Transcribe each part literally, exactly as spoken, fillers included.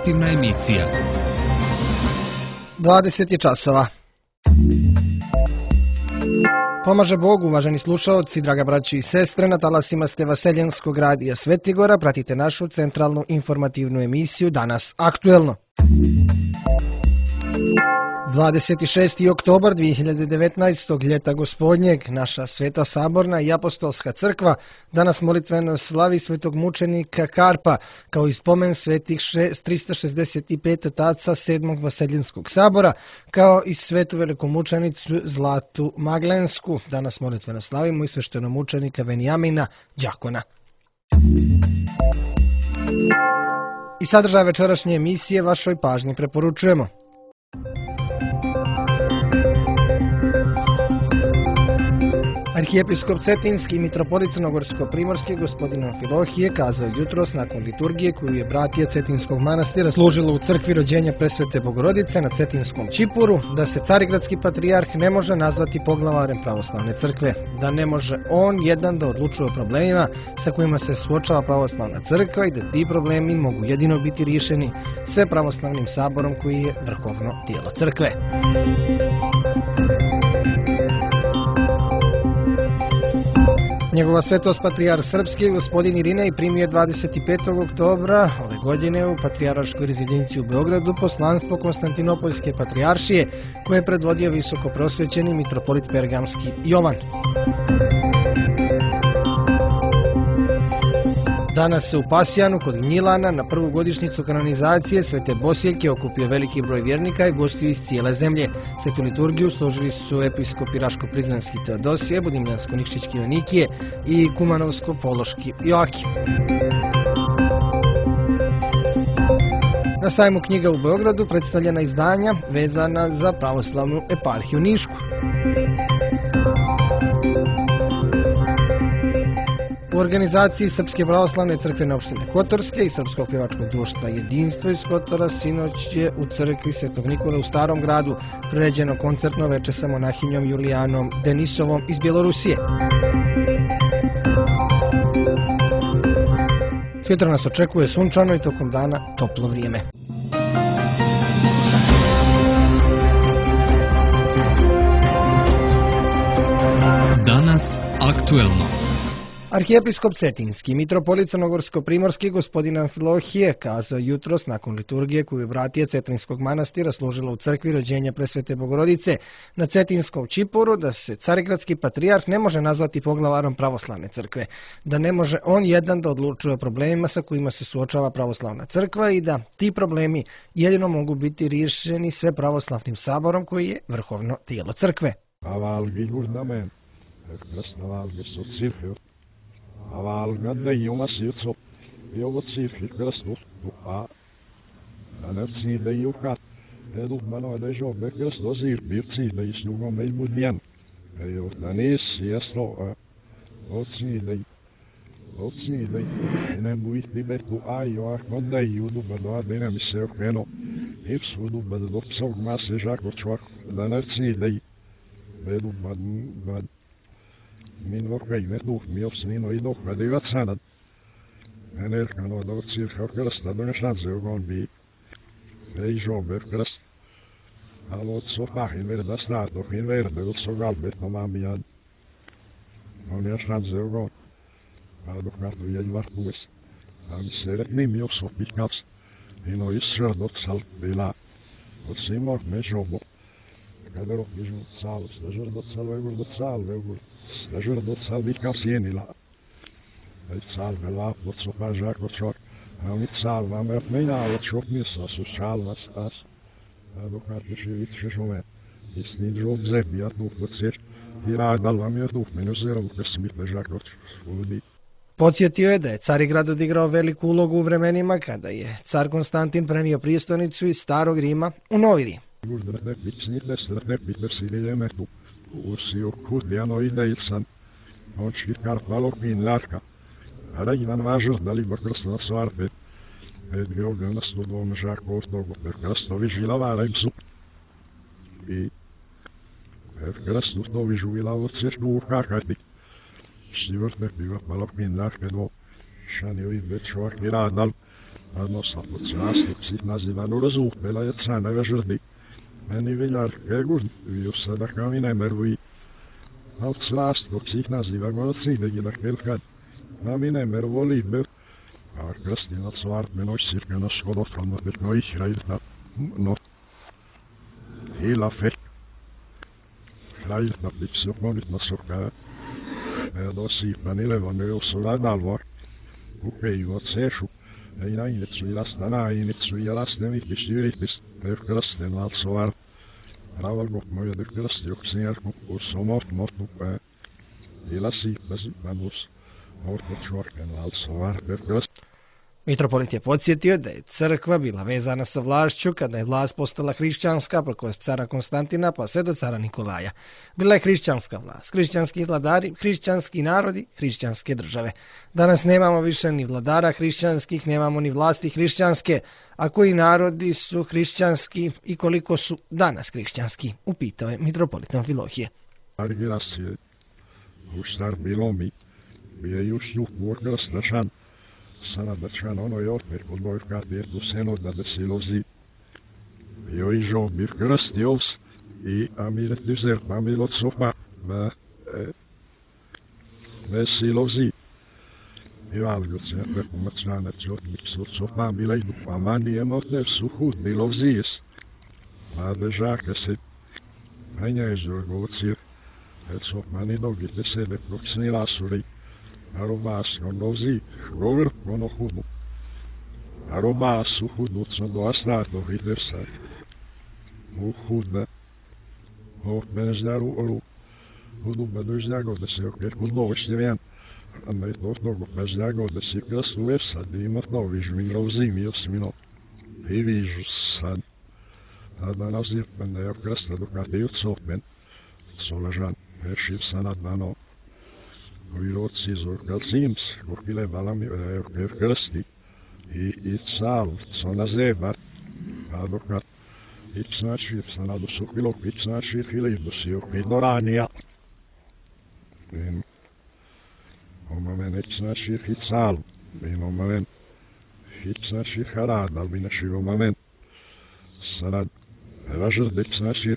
Informativna emisija. dvadeset je časova. Pomaže Bog, uvaženi slušaoci, draga braći i sestre, na talasima ste Vaseljenskog radija Svetigora, pratite našu centralnu informativnu emisiju Danas aktuelno. dvadeset šesti oktobar dvije hiljade devetnaestog. ljeta gospodnjeg, naša Sveta Saborna i Apostolska crkva danas molitveno slavi svetog mučenika Karpa kao i spomen svetih tristo šezdeset pet otaca sedmog Vaseljenskog sabora, kao i svetu velikomučenicu Zlatu Maglensku. Danas molitveno slavimo i sveštenomučenika Venjamina Đakona. I sadržaj večerašnje emisije vašoj pažnji preporučujemo. Arhijepiskop Cetinski i mitropolit Crnogorsko-primorski gospodin Amfilohije kazao jutros nakon liturgije koju je bratija Cetinskog manastira služilo u crkvi rođenja Presvete Bogorodice na Cetinskom Čipuru, da se carigradski patrijarh ne može nazvati poglavarem pravoslavne crkve, da ne može on jedan da odlučuje o problemima sa kojima se suočava pravoslavna crkva i da ti problemi mogu jedino biti riješeni sve pravoslavnim saborom koji je vrhovno tijelo crkve. Njegova svetost patrijarh srpski gospodin Irinej primio dvadeset petog oktobra ove godine u patrijarškoj rezidenciji u Beogradu poslanstvo Konstantinopoljske patrijaršije koje je predvodio visokoprosvećeni mitropolit Pergamski Jovan. Danas se u Pasjanu kod Gnjilana na prvu godišnjicu kanonizacije Svete Bosiljke okupio veliki broj vjernika i gostiju iz cijele zemlje. Svetu liturgiju složili su episkopi Raško-Prizrenski Teodosije, Budimljansko-Nikšićki Jonikije i Kumanovsko-Pološki Joakim. Na sajmu knjiga u Beogradu predstavljena izdanja vezana za pravoslavnu eparhiju Nišku. U organizaciji Srpske pravoslavne crkvene opštine Kotorske i Srpskog pjevačkog društva Jedinstvo iz Kotora sinoć je u crkvi Svetog Nikole u Starom gradu priređeno koncertno veče sa monahinjom Julijanom Denisovom iz Bjelorusije. Sutra nas očekuje sunčano i tokom dana toplo vrijeme. Danas aktuelno. Arhijepiskop Cetinski, mitropolit Crnogorsko-primorski gospodin Amfilohije kazao jutros nakon liturgije koju je bratija Cetinskog manastira služila u crkvi rođenja Presvete Bogorodice na Cetinskom Čipuru, da se carigradski patrijarh ne može nazvati poglavarom pravoslavne crkve, da ne može on jedan da odlučuje o problemima sa kojima se suočava pravoslavna crkva i da ti problemi jedino mogu biti riješeni sve pravoslavnim saborom koji je vrhovno tijelo crkve. Avalgada ima sirco, evo cifri krstu, a anerci da jukat, edu mano da jobe krsto zir birci da isnugo melmudjan, evo danis jesno, oci da oci da ne buit bibetu ajo ahmada judu badwa dena mi se okeno, ipsudu badlo psog mase žako čvak, da nerci da edu bad bad min vorkaj netuh mi opsnino i dok vadivat sanad. En erkano da odsir kao krsta do nešadze ugon bi ej žobe krst. Alo odso pahin verda stato hin verde odso galbet no mamijad. On nešadze ugon. A dok vrtu jej vartues. A mi se rekni mi opso pikavs. Ino isra dok sal bila. Odsimor me žobo. Kada rok bižu cal, stažer do cal vegur do cal vegur. Stažer do cal vikam sjenila. Ej cal vela, do copa žako čok. A oni cal vam rap menjala čok misa, su cal vas tas. A dok vrtu živit šešome. I snid žok zebi, a tuh do ceš. I radal vam je tuh menju zerom, kad smite žako čudi. Podsjetio je da je Carigrad odigrao veliku ulogu u vremenima kada je car Konstantin prenio prijestolnicu iz Starog Rima u Novi Rim. Uždrne pičnite, srne pitersilije metu. Usiju kudjano ide ilsan. On škirkar palok min larka. Ara ivan važo, da li bakrsno svarte. Edgeo gana studom žako ostogo, per krastovi žilavara im su. I per krastu to vižuvila od ceštu u kakati. Štivrt ne piva palok min larke do. Šanio i već čovak i radal. Odnosno, pod svastupcih nazivanu razupela je caneve žrdi. Meni viljar kegur, viju sada kao i ne mervuji. A od svastupcih naziva go odsidegi da kelkad. A mi ne mervo liber. A krstinac svart me noć cirka na skoro från att det nöjt rejta. Nå. Hela fett. Rejta blitzuk något na soka. Med då sipan i levande och så lad allvar. Okej, vad ser du? Ei näin, että sui lasta näin, että sui ja lasten vihkistä yritis. Tyrkkälästen alltså var. Ravalgop ja tyrkkälästi joksin järkun kuussa mort mortu pää. Hela sipa sipan us. Mortu čvorken also var. Tyrkkälästi. Mitropolit je podsjetio da je crkva bila vezana sa vlašću kada je vlast postala hrišćanska preko cara Konstantina pa sve do cara Nikolaja. Bila je hrišćanska vlast, hrišćanski vladari, hrišćanski narodi, hrišćanske države. Danas nemamo više ni vladara hrišćanskih, nemamo ni vlasti hrišćanske, a koji narodi su hrišćanski i koliko su danas hrišćanski, upitao je mitropolit Amfilohije. Argirasije, u star bilo mi, bio još njuh morgal strašan. Sada da čan ono je opet kod moj kad je tu seno da da se lozi. Bio i žo bir krstios i amiret dizer pamil od sopa da da se lozi. I valgo se ne pomacnane čot miksu sopa bila i dupa mani emote su hud bilo zis. A da žaka se Anja je žorgovcir. Et sop mani dogite se le proksni lasuri. Arobas gondozi, govor ono hudu. Arobas u hudu co do astrato hidersa. U hudne. O benezdaru oru. Hudu bedozdago da se okret hudu oštevjan. A ne to togo bezdago da se krasu lepsa da ima to vižu mi rozi mi osmino. I vižu sad. A da nazir pende je krasta dokate i odsopen. Solažan, veršiv sanad dano. Viroci zorkal zims, gorkile valami je krsti i i cal, co na zebar, a dokat i znači se nadu sukilo, i znači fili do si okej do ranija. O moment i znači i cal, i moment i znači harad, ali znači o moment sanad ražr de znači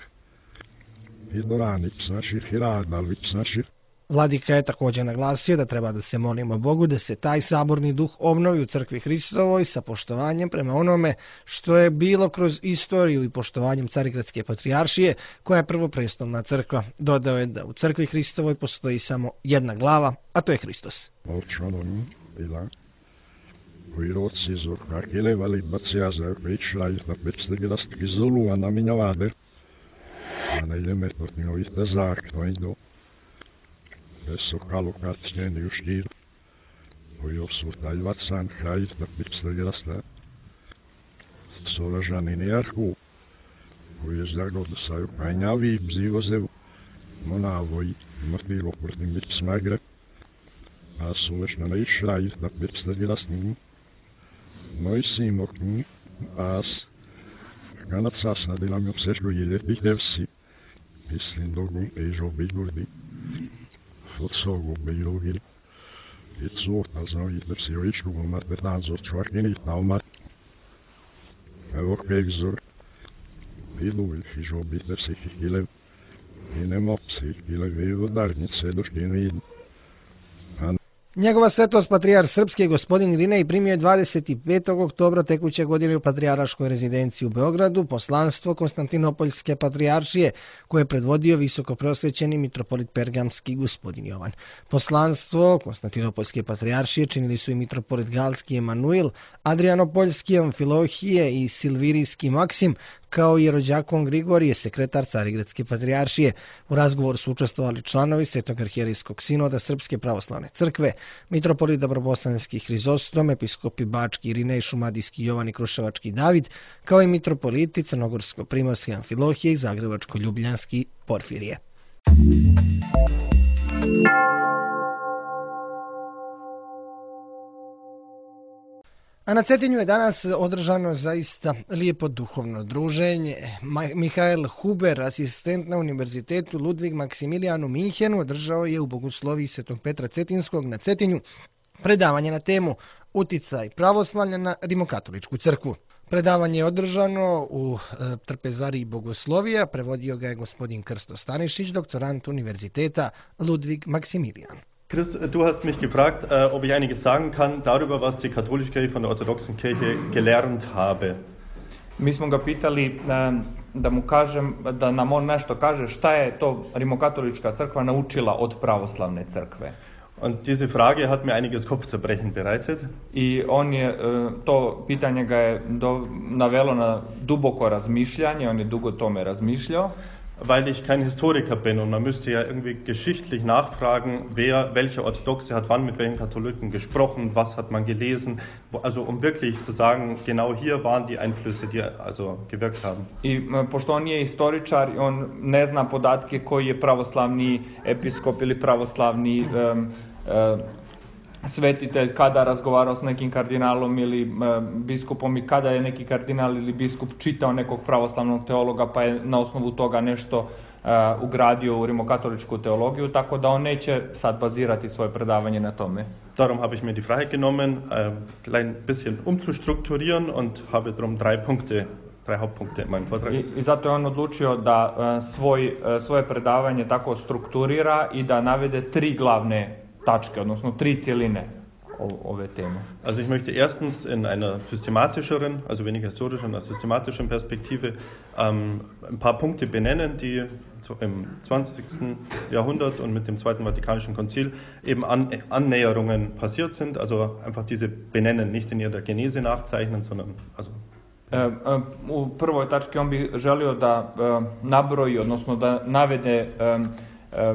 i do rani, znači harad, ali znači. Vladika je također naglasio da treba da se molimo Bogu da se taj saborni duh obnovi u crkvi Hristovoj sa poštovanjem prema onome što je bilo kroz istoriju i poštovanjem Carigradske patrijaršije koja je prvoprestolna crkva. Dodao je da u crkvi Hristovoj postoji samo jedna glava, a to je Hristos. Molčanom bila viroci zorka kilevali bacijaza pričla i na petstagilastki zulu, a na minjavade. A na ime portninovite zak, to je do. Eso kalukat njeni u štir, koji obsurtaj vatsan kraj da pitstagilasta. Solažani nijarku, koji je zdagod da saju kanjavi bzivozev, monavoj mrtvilo protiv bit smagre, a sulešna na išraj da pitstagilastni. Moj simok, as, kanat sasna dilam obseško jede pitevsi, mislim dogu ežo bigurdi. Od sogu bejlugil. I cort also i der se oičku gomat betan zor čvarkin i taumat. Evo kegzor. Pilu il fižo biter se hikilev. I ne mopsi hikilev i udarnice doškinu idn. Njegova svetost patrijar Srpske gospodin Irinej primio je dvadeset petog oktobra tekuće godine u patrijarškoj rezidenciji u Beogradu poslanstvo Konstantinopoljske patrijaršije koje je predvodio visokoprosvećeni mitropolit Pergamski gospodin Jovan. Poslanstvo Konstantinopoljske patrijaršije činili su i mitropolit Galski Emanuil, Adrianopoljski Amfilohije i Silvirijski Maksim, kao i rođakon Grigorije, sekretar Carigradske patrijaršije. U razgovoru su učestvovali članovi Svetog arhijerijskog sinoda Srpske pravoslavne crkve, mitropolit Dobrobosanski Hrizostom, episkopi Bački Irinej, Šumadijski Jovan i Kruševački David, kao i mitropoliti Crnogorsko-primorski Amfilohije i Zagrebačko-ljubljanski Porfirije. A na Cetinju je danas održano zaista lijepo duhovno druženje. Mihael Huber, asistent na Univerzitetu Ludvig Maksimilijan u Minhenu, održao je u Bogosloviji Svetog Petra Cetinskog na Cetinju predavanje na temu Uticaj pravoslavlja na rimokatoličku crkvu. Predavanje je održano u e, trpezariji Bogoslovija, prevodio ga je gospodin Krsto Stanišić, doktorant Univerziteta Ludwig Maximilian. Chris, du hast mich gefragt, äh, ob ich einiges sagen kann darüber, was die katholische Kirche von der orthodoxen Kirche gelernt habe. Mi smo ga pitali e, da mu kažem, da nam on nešto kaže šta je to rimokatolička crkva naučila od pravoslavne crkve. Und diese Frage hat mir einiges Kopfzerbrechen bereitet. I on je, to pitanje ga je do, navelo na duboko razmišljanje, on je dugo tome razmišljao. Weil ich kein Historiker bin und man müsste ja irgendwie geschichtlich nachfragen, wer, welche Orthodoxe hat wann mit welchen Katholiken gesprochen, was hat man gelesen, also um wirklich zu sagen, genau hier waren die Einflüsse, die also gewirkt haben. I pošto on nije istoričar, on ne zna podatke koji je pravoslavni episkop ili pravoslavni um, um, svetitelj kada razgovarao s nekim kardinalom ili e, biskupom i kada je neki kardinal ili biskup čitao nekog pravoslavnog teologa pa je na osnovu toga nešto e, ugradio u rimokatoličku teologiju, tako da on neće sad bazirati svoje predavanje na tome. Darum habe ich mir die Freiheit genommen, ein klein bisschen umzustrukturieren und habe darum drei Punkte, drei Hauptpunkte in meinem Vortrag. I, i zato je on odlučio da e, svoj, e, svoje predavanje tako strukturira i da navede tri glavne tačke, odnosno tri cjeline ove teme. Also ich möchte erstens in einer systematischeren, also weniger historischen, einer systematischen Perspektive ähm, ein paar Punkte benennen, die so im zwanzigsten Jahrhundert und mit dem Zweiten Vatikanischen Konzil eben an, Annäherungen passiert sind, also einfach diese benennen, nicht in ihrer Genese nachzeichnen, sondern also E, e, u prvoj tački on bi želio da e, nabroji, odnosno da navede e,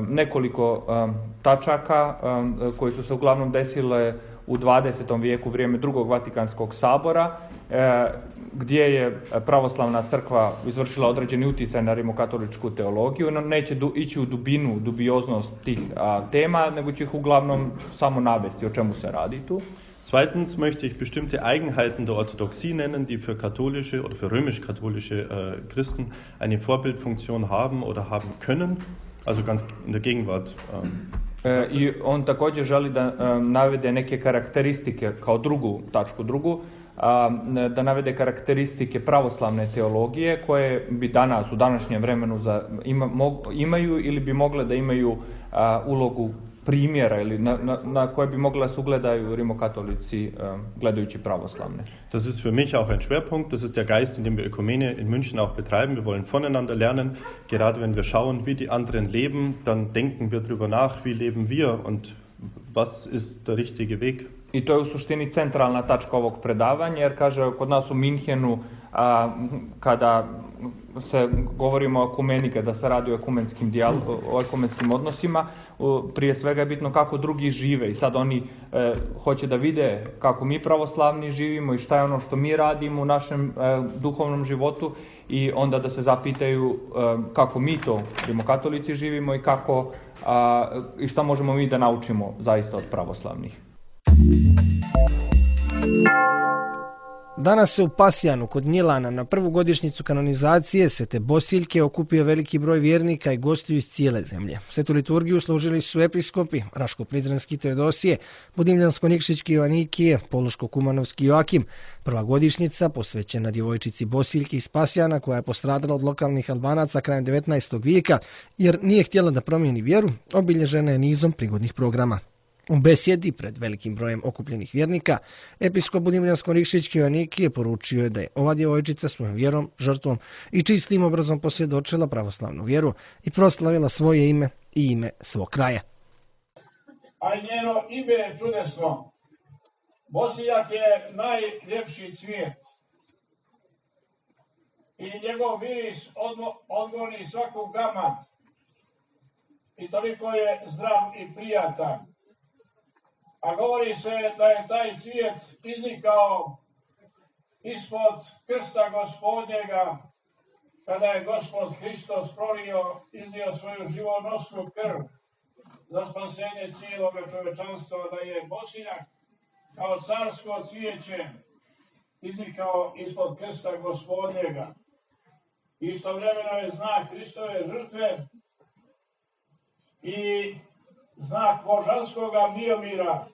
nekoliko um, tačaka um, koji su se uglavnom desile u dvadesetom vijeku u vrijeme drugog Vatikanskog sabora, e, gdje je pravoslavna crkva izvršila određeni utjecaj na rimokatoličku teologiju. No, neće du, ići u dubinu, dubioznost tih a, tema, nego će ih uglavnom samo navesti o čemu se radi tu. Zweitens möchte ich bestimmte Eigenheiten der Orthodoxie nennen, die für katholische oder für römisch-katholische äh, Christen eine Vorbildfunktion haben oder haben können. Also ganz in der Gegenwart. Um. E, I on također želi da um, navede neke karakteristike kao drugu tačku drugu, um, da navede karakteristike pravoslavne teologije koje bi danas u današnjem vremenu za, ima, mog, imaju ili bi mogle da imaju uh, ulogu primjera ili na, na, na koje bi mogla se ugledaju rimokatolici um, gledajući pravoslavne. Das ist für mich auch ein Schwerpunkt, das ist der Geist, in dem wir Ökumene in München auch betreiben. Wir wollen voneinander lernen, gerade wenn wir schauen, wie die anderen leben, dann denken wir darüber nach, wie leben wir und was ist der richtige Weg. I to je u suštini centralna tačka ovog predavanja, jer kaže kod nas u Minhenu, a, kada se govorimo o ekumeni, kada se radi o ekumenskim, dijal, o ekumenskim odnosima, prije svega je bitno kako drugi žive i sad oni e, hoće da vide kako mi pravoslavni živimo i šta je ono što mi radimo u našem e, duhovnom životu i onda da se zapitaju e, kako mi to rimokatolici živimo i kako a, i šta možemo mi da naučimo zaista od pravoslavnih. Danas se u Pasjanu kod Gnjilana na prvu godišnjicu kanonizacije Svete Bosiljke okupio veliki broj vjernika i gostiju iz cijele zemlje. Svetu liturgiju služili su episkopi Raško-Prizrenski Teodosije, Budimljansko-Nikšićki Joanikije, Poluško-Kumanovski Joakim. Prva godišnjica posvećena djevojčici Bosiljki iz Pasjana koja je postradala od lokalnih Albanaca krajem devetnaestog vijeka jer nije htjela da promijeni vjeru, obilježena je nizom prigodnih programa. U besjedi pred velikim brojem okupljenih vjernika, episkop Budimljansko-Nikšićki Joanikije poručio je da je ova djevojčica svojom vjerom, žrtvom i čistim obrazom posvjedočila pravoslavnu vjeru i proslavila svoje ime i ime svog kraja. A njeno ime je čudesno. Bosiljak je najljepši cvijet i njegov miris odgoni svakog gama i toliko je zdrav i prijatan. A govori se da je taj cvijet iznikao ispod krsta Gospodnjega, kada je Gospod Hristos prolio, iznio svoju živonosnu krv za spasenje cijelog čovečanstva, da je Bosiljak kao carsko cvijeće iznikao ispod krsta Gospodnjega. Istovremeno je znak Hristove žrtve i znak božanskoga miomira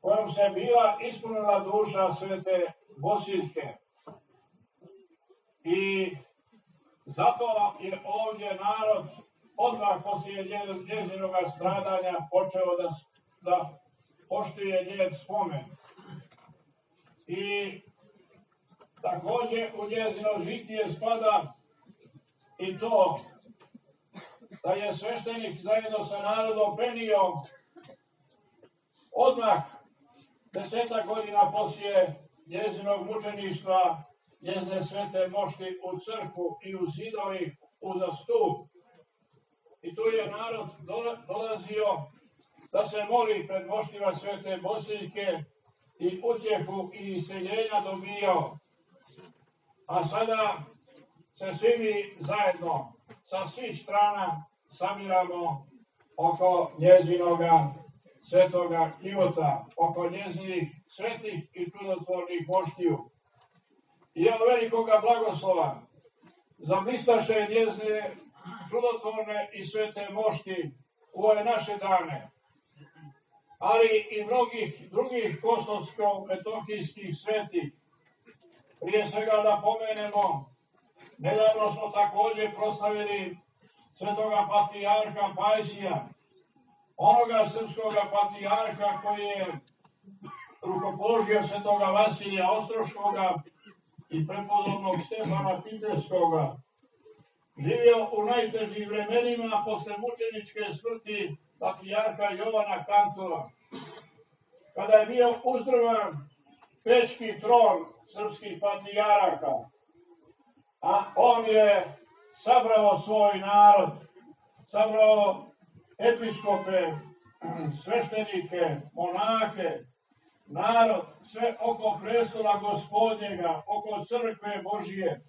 kojom se bila ispunila duša Svete Bosiljke. I zato je ovdje narod odmah poslije njezinog stradanja počeo da, da poštuje njen spomen. I također u njezino žitije spada i to da je sveštenik zajedno sa narodom penio odmah desetak godina poslije njezinog mučeništva njezine svete mošti u crkvu i u zidovi uza stup. I tu je narod dolazio da se moli pred moštima Svete Bosiljke i utjehu i iseljenja dobijao. A sada se svi mi zajedno sa svih strana sabiramo oko njezinoga svetoga života, oko njezinih svetih i čudotvornih moštiju. I evo velikoga blagoslova za blistaše njezine čudotvorne i svete mošti u ove naše dane, ali i mnogih drugih kosovsko-metohijskih svetih. Prije svega da pomenemo, nedavno smo također proslavili svetoga patrijarha Pajsija, onoga srpskoga patrijarha koji je rukopoložio svetoga Vasilija Ostroškoga i prepodobnog Stefana Piterskoga. Živio u najtežim vremenima posle mučeničke smrti patrijarha Jovana Kantora. Kada je bio uzdrman pečki tron srpskih patrijaraka, a on je sabrao svoj narod, sabrao episkope, sveštenike, monake, narod, sve oko prestola Gospodnjega, oko crkve Božije.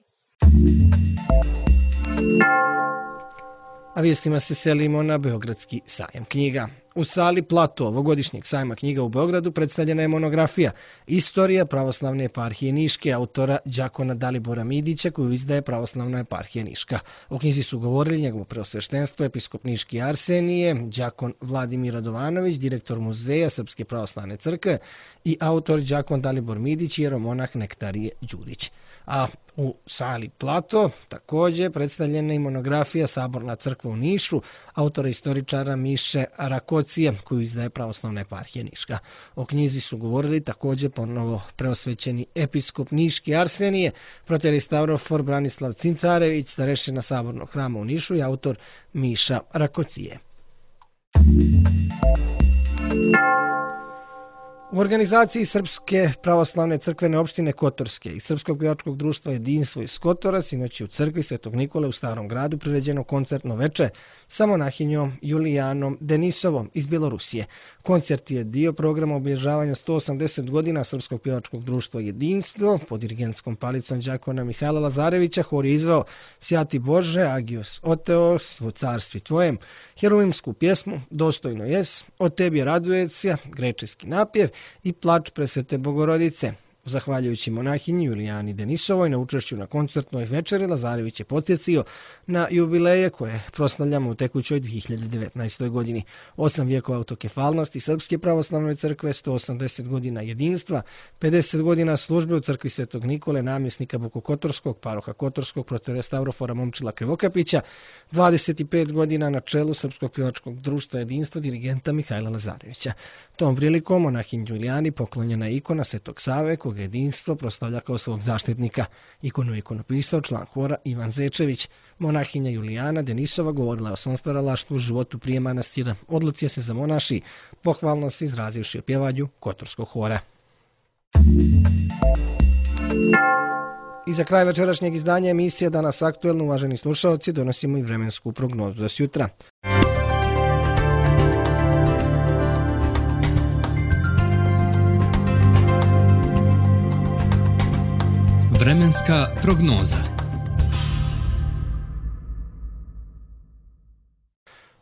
A vijestima se selimo na Beogradski sajam knjiga. U sali Plato ovogodišnjeg sajma knjiga u Beogradu predstavljena je monografija Istorija pravoslavne eparhije Niške autora Đakona Dalibora Midića koju izdaje Pravoslavna eparhija Niška. O knjizi su govorili njegovo preosveštenstvo episkop Niški Arsenije, đakon Vladimir Radovanović, direktor muzeja Srpske pravoslavne crkve i autor Đakon Dalibor Midić i jeromonah Nektarije Đurić. A u sali Plato također predstavljena i monografija Saborna crkva u Nišu, autora istoričara Miše Rakocije, koju izdaje Pravoslavna eparhija Niška. O knjizi su govorili također ponovo preosvećeni episkop Niški Arsenije, proteristaurofor Branislav Cincarević, starešina Sabornog hrama u Nišu i autor Miša Rakocije. U organizaciji Srpske pravoslavne crkvene opštine Kotorske i Srpskog pjevačkog društva Jedinstvo iz Kotora sinoć je u crkvi Svetog Nikole u Starom gradu priređeno koncertno veče sa monahinjom Julijanom Denisovom iz Bjelorusije. Koncert je dio programa obilježavanja sto osamdeset godina Srpskog pjevačkog društva Jedinstvo. Pod dirigentskom palicom đakona Mihajla Lazarevića hor je izveo Sjati Bože, Agios Oteos, u carstvi tvojem, heruvimsku pjesmu Dostojno jes, o tebi raduje se, grečeski napjev i plač presvete Bogorodice. Zahvaljujući monahinji Julijani Denisovoj na učešću na koncertnoj večeri, Lazarević je podsjetio na jubileje koje proslavljamo u tekućoj dvije hiljade devetnaestoj godini. Osam vijekova autokefalnosti Srpske pravoslavne crkve, sto osamdeset godina jedinstva, pedeset godina službe u crkvi Svetog Nikole, namjesnika Bokokotorskog, paroha Kotorskog, proterestaurofora Momčila Krivokapića, dvadeset pet godina na čelu Srpskog pjevačkog društva Jedinstva dirigenta Mihajla Lazarevića. Tom prilikom monahinji Julijani poklonjena je ikona Svetog Save, koga Jedinstvo proslavlja kao svog zaštitnika. Ikonu je ikonopisao član hora Ivan Zečević. Monahinja Julijana Denisova govorila je o svom stvaralaštvu, životu prije manastira. Odluci se za monaši, pohvalno se izrazivši o pjevanju Kotorskog hora. I za kraj večerašnjeg izdanja emisije Danas aktuelno, uvaženi slušalci, donosimo i vremensku prognozu za sjutra. Vremenska prognoza.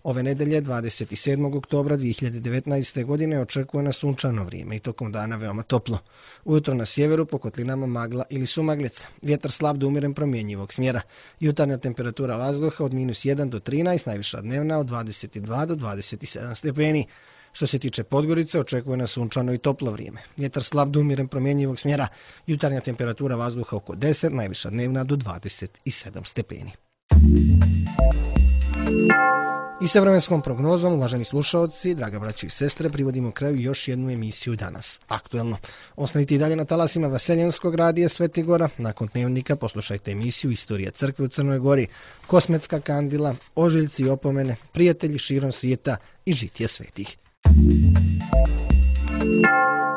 Ove nedelje, dvadeset sedmog oktobra dvije hiljade devetnaeste. godine, očekuje nas sunčano vrijeme i tokom dana veoma toplo. Ujutro na sjeveru po kotlinama magla ili sumaglica. Vjetar slab do umjeren promjenjivog smjera. Jutarnja temperatura vazduha od minus jedan do trinaest, najviša dnevna od dvadeset dva do dvadeset sedam stepeni. Što se tiče Podgorice, očekuje nas sunčano i toplo vrijeme. Vjetar slab do umiren promjenjivog smjera, jutarnja temperatura vazduha oko deset, najviša dnevna do dvadeset sedam stepeni. I sa vremenskom prognozom, uvaženi slušaoci, draga braći i sestre, privodimo kraju još jednu emisiju danas. Aktuelno. Ostanite i dalje na talasima Vaseljenskog radija Sveti Gora. Nakon dnevnika poslušajte emisiju Istorija crkve u Crnoj Gori, Kosmetska kandila, Ožiljci i opomene, Prijatelji širom svijeta i Žitije svetih.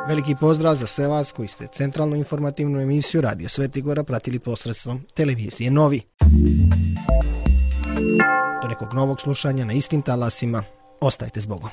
Veliki pozdrav za sve vas koji ste centralnu informativnu emisiju Radio Sveti Gora pratili posredstvom televizije Novi. Do nekog novog slušanja na istim talasima. Ostajte s Bogom.